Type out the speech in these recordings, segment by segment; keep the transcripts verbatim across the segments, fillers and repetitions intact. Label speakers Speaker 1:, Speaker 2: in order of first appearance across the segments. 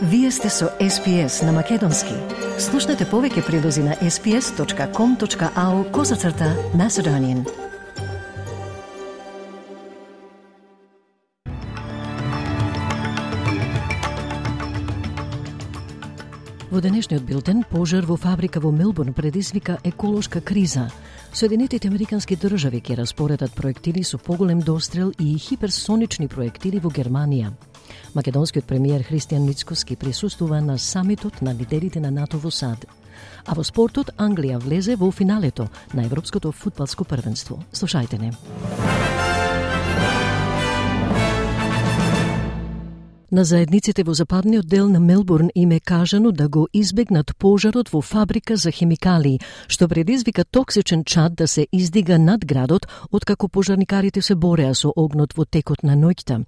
Speaker 1: Вие сте со Ес Пи Ес на Македонски. Слушнете повеќе прилози на ес пи ес точка ком точка ау козацрта Macedonian. Во денешниот билтен, пожар во фабрика во Мелбурн предизвика еколошка криза. Соединетите американски држави ќе распоредат проектили со поголем дострел и хиперсонични проектили во Германија. Македонскиот премиер Христијан Мицкоски присуствува на самитот на лидерите на НАТО во САД. А во спортот Англија влезе во финалето на Европското фудбалско првенство. Слушајте не. На заедниците во западниот дел на Мелбурн им е кажано да го избегнат пожарот во фабрика за хемикалии, што предизвика токсичен чад да се издига над градот, откако пожарникарите се бореа со огнот во текот на ноќта.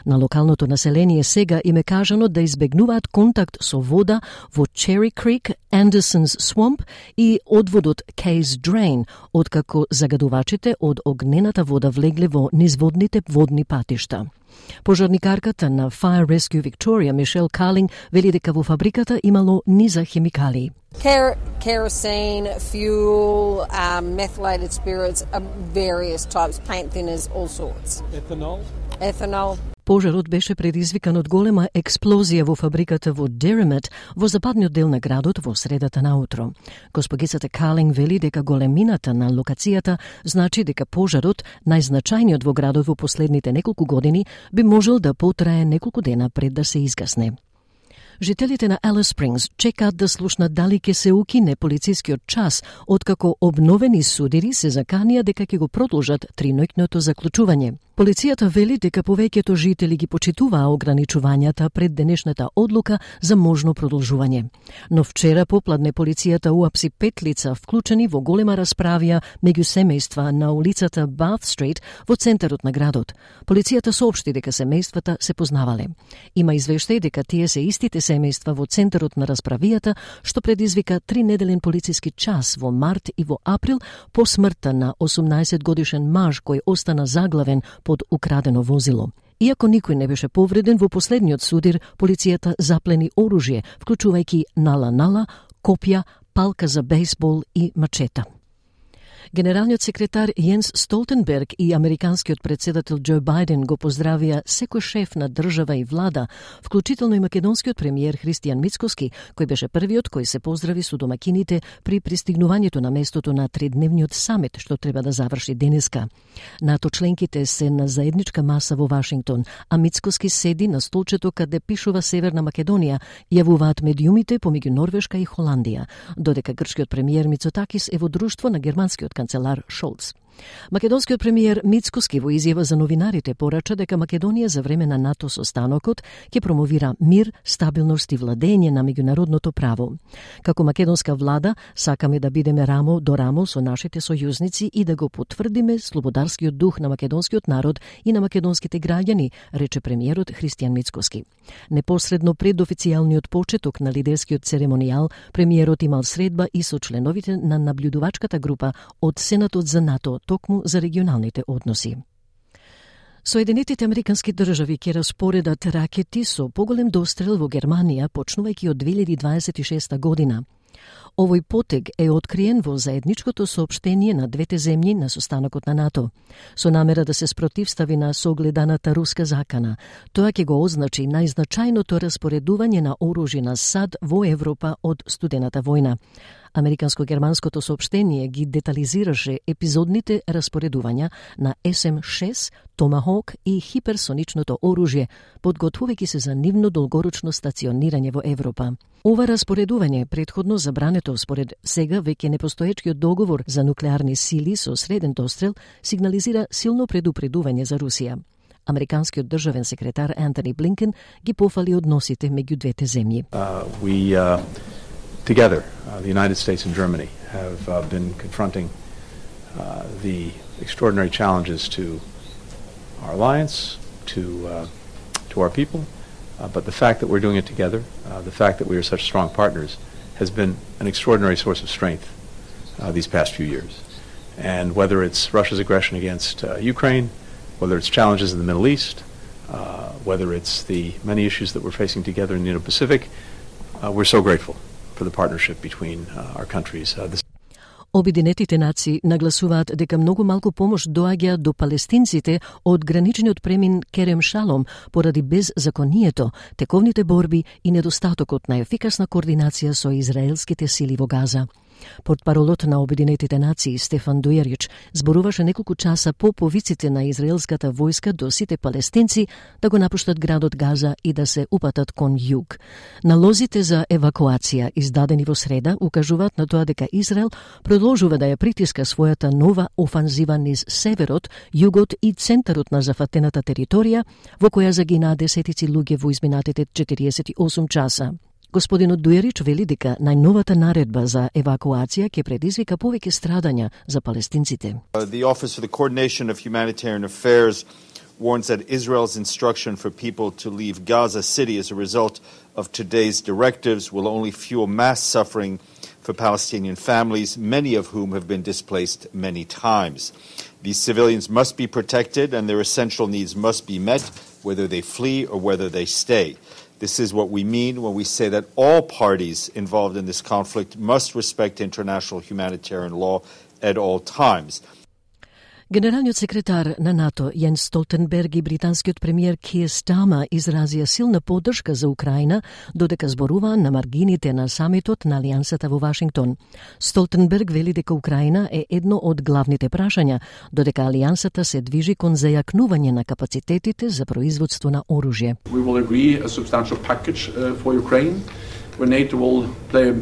Speaker 1: На локалното население сега им е кажано да избегнуваат контакт со вода во Cherry Creek, Anderson's Swamp и одводот Case Drain, откако загадувачите од огнената вода влегле во низводните водни патишта. Пожарникарката на Fire Rescue Victoria, Мишел Калинг, вели дека во фабриката имало низа хемикалии.
Speaker 2: Ker- kerosene, fuel, um, methylated spirits, uh, various types, paint thinners, all sorts.
Speaker 3: Ethanol?
Speaker 2: Ethanol.
Speaker 1: Пожарот беше предизвикан од голема експлозија во фабриката во Derrimut, во западниот дел на градот во средата на утро. Госпогицата Калинг вели дека големината на локацијата значи дека пожарот, најзначајниот во градот во последните неколку години, би можел да потрае неколку дена пред да се изгасне. Жителите на Алис Спрингс чекаат да слушнат дали ќе се укине полицискиот час, откако обновени судири се заканија дека ќе го продолжат триноќното заклучување. Полицијата вели дека повеќето жители ги почитуваа ограничувањата пред денешната одлука за можно продолжување. Но вчера попладне полицијата уапси пет лица вклучени во голема расправија меѓу семејства на улицата Bath Street во центарот на градот. Полицијата соопшти дека семејствата се познавале. Има извештај дека тие се истите семејства во центарот на расправијата, што предизвика тринеделен полициски час во март и во април по смртта на осумнаесет годишен маж кој остана заглавен под украдено возило. Иако никој не беше повреден, во последниот судир полицијата заплени оружје, вклучувајќи нала-нала, копја, палка за бейсбол и мачета. Генералниот секретар Јенс Столтенберг и американскиот председател Џо Бајден го поздравија секој шеф на држава и влада, вклучително и македонскиот премиер Христијан Мицкоски, кој беше првиот кој се поздрави со домакините при пристигнувањето на местото на тридневниот самит, што треба да заврши денеска. НАТО членките се на заедничка маса во Вашингтон, а Мицкоски седи на столчето каде пишува Северна Македонија, јавуваат медиумите помеѓу Норвешка и Холандија, додека грчкиот премиер Мицотакис е во друштво на германскиот канцелар Шолц. Македонскиот премиер Мицкоски во изјава за новинарите порача дека Македонија за време на НАТО состанокот ќе промовира мир, стабилност и владење на меѓународното право. Како македонска влада сакаме да бидеме рамо до рамо со нашите сојузници и да го потврдиме слободарскиот дух на македонскиот народ и на македонските граѓани, рече премиерот Христијан Мицкоски. Непосредно пред официјалниот почеток на лидерскиот церемонијал, премиерот имал средба и со членовите на наблюдувачката група од Сенатот за НАТО токму за регионалните односи. Соединетите американски држави ќе распоредат ракети со поголем дострел во Германија почнувајќи од две илјади дваесет и шеста година. Овој потег е откриен во заедничкото соопштение на двете земји на состанокот на НАТО, со намера да се спротивстави на согледаната руска закана. Тоа ќе го означи најзначајното распоредување на оружје на САД во Европа од студената војна. Американско-германското соопштение ги детализираше епизодните распоредувања на Ес Ем шест, Томахок и хиперсоничното оружје, подготвувајќи се за нивно долгорочно стационирање во Европа. Ова распоредување предходно забрането според сега веќе непостоечкиот договор за нуклеарни сили со среден дострел сигнализира силно предупредување за Русија. Американскиот државен секретар Антони Блинкен ги пофали односите меѓу двете земји.
Speaker 3: Uh, we, uh... Together, uh, the United States and Germany have uh, been confronting uh, the extraordinary challenges to our alliance, to uh, to our people, uh, but the fact that we're doing it together, uh, the fact that we are such strong partners, has been an extraordinary source of strength uh, these past few years. And whether it's Russia's aggression against uh, Ukraine, whether it's challenges in the Middle East, uh, whether it's the many issues that we're facing together in the Indo-Pacific. Uh, we're so grateful for the partnership between uh, our countries. Uh, this
Speaker 1: Обединетите нации нагласуваат дека многу малку помош доаѓа до палестинците од граничниот премин Керем Шалом поради беззаконието, тековните борби и недостатокот на ефикасна координација со израелските сили во Газа. Портпаролот на Обединетите нации Стефан Дујерич зборуваше неколку часа по повиците на израелската војска до сите палестинци да го напуштат градот Газа и да се упатат кон југ. Налозите за евакуација издадени во среда укажуваат на тоа дека Израел продолжува да ја притиска својата нова офанзива низ северот, југот и центарот на зафатената територија, во која загинаа десетици луѓе во изминатите четириесет и осум часа. Господинот Дуерич вели дека најновата наредба за евакуација ќе предизвика повеќе страдања за палестинците.
Speaker 4: The Office for the Coordination of Humanitarian Affairs warns that Israel's instruction for people to leave Gaza City as a result of today's directives will only fuel mass suffering for Palestinian families, many of whom have been displaced many times. These civilians must be protected and their essential needs must be met, whether they flee or whether they stay. This is what we mean when we say that all parties involved in this conflict must respect international humanitarian law at all times.
Speaker 1: Генералниот секретар на НАТО Јенс Столтенберг и британскиот премиер Киер Стама изразија силна поддршка за Украина, додека зборуваа на маргините на самитот на Алијансата во Вашингтон. Столтенберг вели дека Украина е едно од главните прашања, додека Алијансата се движи кон зајакнување на капацитетите за производство на оружје.
Speaker 5: We will agree a substantial package uh, for Ukraine, where NATO will play a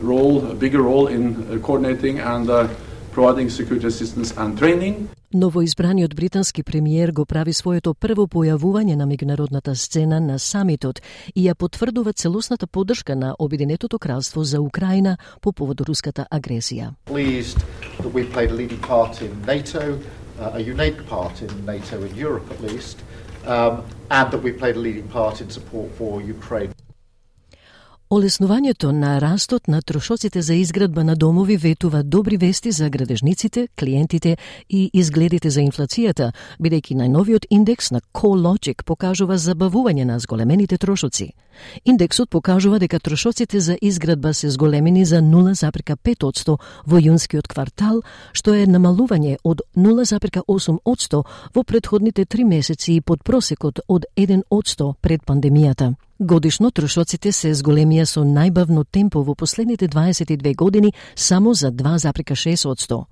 Speaker 5: role, a bigger role in uh, coordinating and uh, providing security assistance and training.
Speaker 1: Новоизбраниот британски премиер го прави своето прво појавување на меѓународната сцена на самитот и ја потврдува целосната поддршка на Обединетото кралство за Украина по повод руската агресија.
Speaker 6: Pleased that we played a leading part in NATO, uh, a unique part in NATO in Europe at least, um, and that we played a leading part in support for Ukraine.
Speaker 1: Олеснувањето на растот на трошоците за изградба на домови ветува добри вести за градежниците, клиентите и изгледите за инфлацијата, бидејќи најновиот индекс на CoreLogic покажува забавување на зголемените трошоци. Индексот покажува дека трошоците за изградба се зголемени за нула запирка пет одсто во јунскиот квартал, што е намалување од нула запирка осум одсто во претходните три месеци и под просекот од еден одсто пред пандемијата. Годишно трошоците се зголемија со најбавно темпо во последните дваесет и две години само за два запирка шест одсто.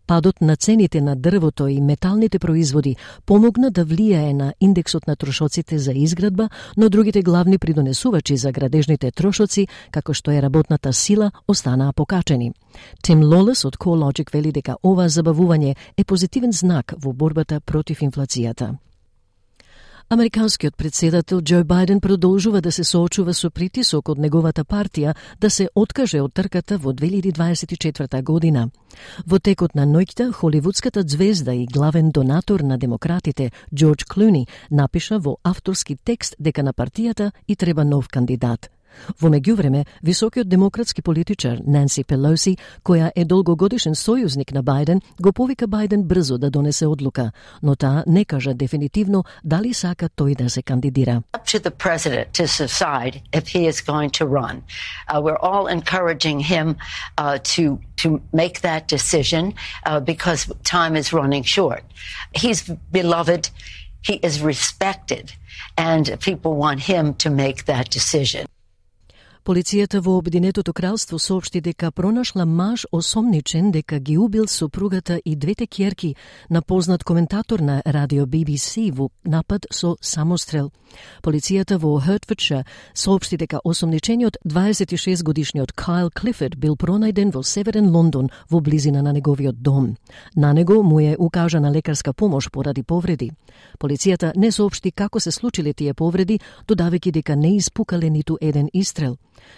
Speaker 1: Падот на цените на дрвото и металните производи помогна да влијае на индексот на трошоците за изградба, но другите главни придонесувачи за градежните трошоци, како што е работната сила, останаа покачени. Тим Лолес од CoreLogic вели дека ова забавување е позитивен знак во борбата против инфлацијата. Американскиот председател Џо Бајден продолжува да се соочува со притисок од неговата партија да се откаже од трката во две илјади дваесет и четврта година. Во текот на ноќта, холивудската звезда и главен донатор на демократите Џорџ Клуни напиша во авторски текст дека на партијата и треба нов кандидат. Во меѓувреме, високиот демократски политичар Нанси Пелоси, која е долгогодишен сојузник на Бајден, го повика Бајден брзо да донесе одлука, но таа не кажа дефинитивно дали сака тој да се кандидира.
Speaker 7: Up to the president to decide if he is going to run. Uh, we're all encouraging him uh, to to make that decision uh, because time is running short. He's beloved, he is respected, and people want him to make that decision.
Speaker 1: Полицијата во Обединетото кралство соопшти дека пронашла маж осомничен дека ги убил сопругата и двете ќерки на познат коментатор на радио Би Би Си во напад со самострел. Полицијата во Хертфордшир соопшти дека осомничениот дваесет и шест годишниот Кайл Клифорд бил пронајден во северен Лондон во близина на неговиот дом. На него му е укажана лекарска помош поради повреди. Полицијата не соопшти како се случиле тие повреди, додавајќи дека не испукале ниту еден истрел.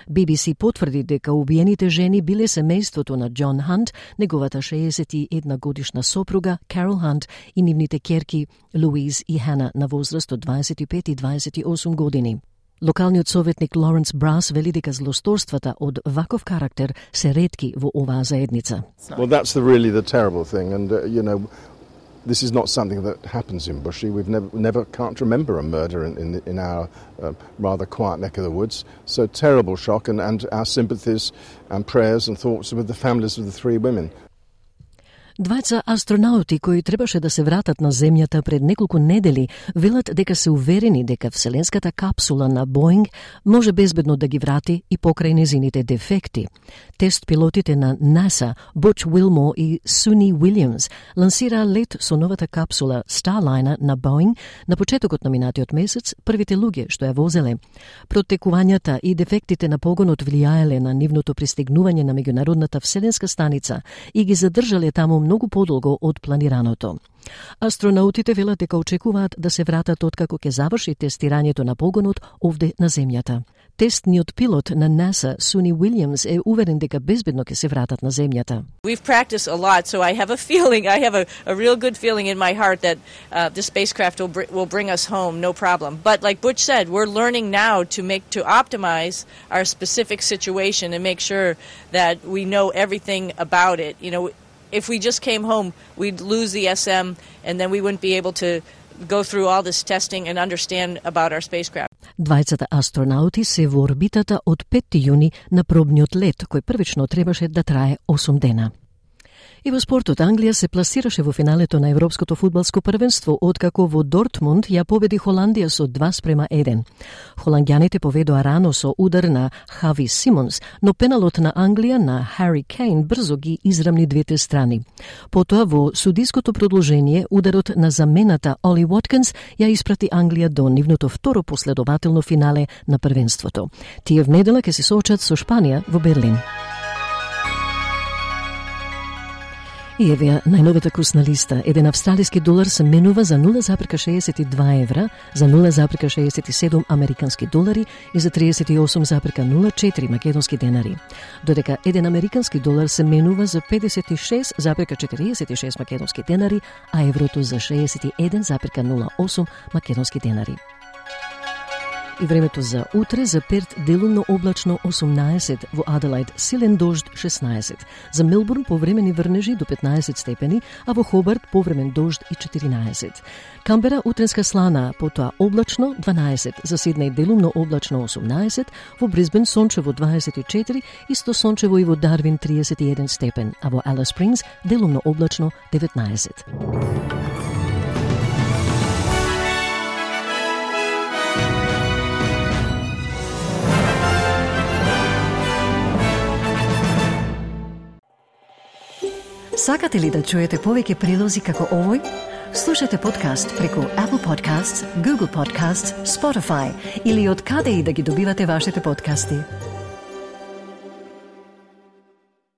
Speaker 1: Би Би Си потврди дека убиените жени биле семејството на Џон Хант, неговата шеесет и една годишна сопруга Карол Хант и нивните ќерки Луиз и Хана на возраст од дваесет и пет и дваесет и осум години. Локалниот советник Лоренс Брас вели дека злосторствата од ваков карактер се ретки во оваа заедница.
Speaker 8: Well, that's the really the terrible thing, and uh, you know, this is not something that happens in Bushey. We've never, never can't remember a murder in, in, in our uh, rather quiet neck of the woods. So terrible shock, and, and our sympathies and prayers and thoughts with the families of the three women.
Speaker 1: Двајца астронаути кои требаше да се вратат на земјата пред неколку недели велат дека се уверени дека вселенската капсула на Боинг може безбедно да ги врати и покрај незините дефекти. Тест пилотите на НАСА, Буч Уилмор и Суни Уилјамс, лансира лет со новата капсула Starliner на Боинг на почетокот на минатиот месец, првите луѓе што ја возеле. Протекувањата и дефектите на погонот влијаеле на нивното пристигнување на меѓународната вселенска станица и ги задржале таму многу подолго од планираното. Астронаутите велат дека очекуваат да се вратат откако ќе заврши тестирањето на погонот овде на земјата. Тестниот пилот на НАСА, Суни Уилјамс, е уверен дека безбедно ќе се вратат на земјата.
Speaker 9: We've practiced a lot, so I have a feeling, I have a, a real good feeling in my heart that uh, the spacecraft will, br- will bring us home, no problem. But like Butch said, we're learning now to make to optimize our specific situation and make sure that we know everything about it. You know, if we just came home, we'd lose the S M, and then we wouldn't be able to go through all this testing and understand about our spacecraft.
Speaker 1: Двајцата астронаути се во орбитата од петти јуни на пробниот лет, кој првично требаше да трае осум дена. И во спортот, Англија се пласираше во финалето на Европското фудбалско првенство, откако во Дортмунд ја победи Холандија со два спрема еден. Холандјаните поведоа рано со удар на Хави Симонс, но пеналот на Англија на Хари Кейн брзо ги израмни двете страни. Потоа во судиското продолжение, ударот на замената Оли Воткинс ја испрати Англија до нивното второ последователно финале на првенството. Тие в недела ќе се соочат со Шпанија во Берлин. И еве најновата курсна листа. Еден австралиски долар се менува за нула запирка шеесет и два евра, за нула запирка шеесет и седум американски долари и за триесет и осум запирка нула четири македонски денари. Додека еден американски долар се менува за педесет и шест запирка четириесет и шест македонски денари, а еврото за шеесет и еден запирка нула осум македонски денари. И времето за утре: за Перт делумно облачно осумнаесет, во Аделајд силен дожд шеснаесет, за Мелбурн повремени врнежи до петнаесет степени, а во Хобарт повремен дожд и четиринаесет. Камбера утренска слана, потоа облачно дванаесет, за Сиднеј делумно облачно осумнаесет, во Брисбен сончево дваесет и четири, исто сончево и во Дарвин триесет и еден степен, а во Алис Спрингс делумно облачно деветнаесет. Сакате ли да чуете повеќе прилози како овој? Слушате подкаст преку Apple Podcasts, Google Podcasts, Spotify или од каде и да ги добивате вашите подкасти.